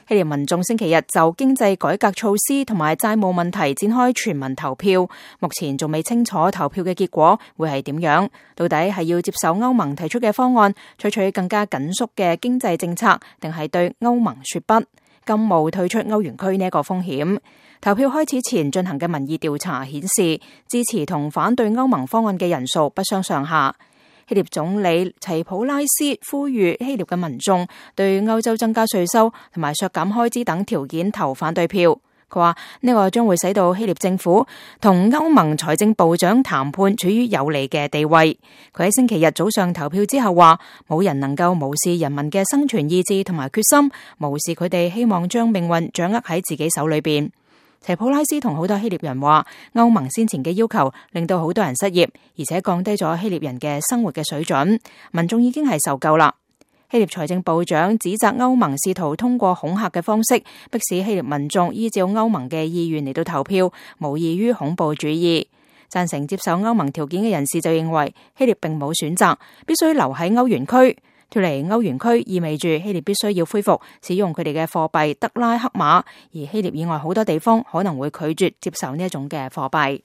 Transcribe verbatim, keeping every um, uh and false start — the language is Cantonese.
希臘民眾星期日就經濟改革措施同埋債務問題展開全民投票，目前仲未清楚投票嘅結果會係點樣，到底係要接受歐盟提出嘅方案，採取更加緊縮嘅經濟政策，定係對歐盟說不，甘冒退出歐元區呢一個風險。投票開始前進行嘅民意調查顯示，支持同反對歐盟方案嘅人數不相上下。希臘總理齊普拉斯呼籲希臘嘅民眾對歐洲增加稅收同埋削減開支等條件投反對票。佢話呢個將會使到希臘政府同歐盟財政部長談判處於有利嘅地位。佢喺星期日早上投票之後話，冇人能夠無視人民嘅生存意志同埋決心，無視佢哋希望將命運掌握喺自己手裏邊。齊普拉斯同好多希臘人話，歐盟先前嘅要求令到好多人失業，而且降低咗希臘人嘅生活嘅水準，民眾已經係受夠啦。希臘財政部長指責歐盟試圖通過恐嚇嘅方式，迫使希臘民眾依照歐盟嘅意願嚟到投票，無異於恐怖主義。贊成接受歐盟條件嘅人士就認為，希臘並冇選擇，必須留喺歐元區。脫離歐元區意味住希臘必須要恢復使用佢哋嘅貨幣德拉克馬，而希臘以外好多地方可能會拒絕接受呢一種嘅貨幣。